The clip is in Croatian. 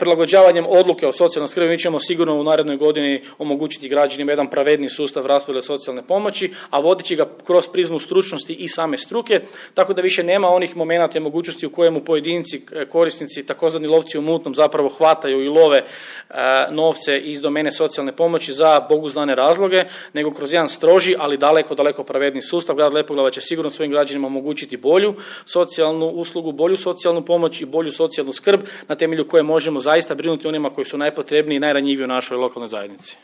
Prilagođavanjem odluke o socijalnoj skrbi mi ćemo sigurno u narednoj godini omogućiti građanima jedan pravedniji sustav raspodjele socijalne pomoći, a vodeći ga kroz prizmu stručnosti i same struke, tako da više nema onih momenata i mogućnosti u kojemu pojedinci, korisnici, takozvani lovci u mutnom zapravo hvataju i love novce iz domene socijalne pomoći za Bogu znane razloge, nego kroz jedan stroži, ali daleko pravedniji sustav. Grad Lepoglava će sigurno svojim građanima omogućiti bolju socijalnu uslugu, bolju socijalnu pomoć i bolju socijalnu skrb na temelju koje možemo zaista brinuti onima koji su najpotrebniji i najranjiviji u našoj lokalnoj zajednici.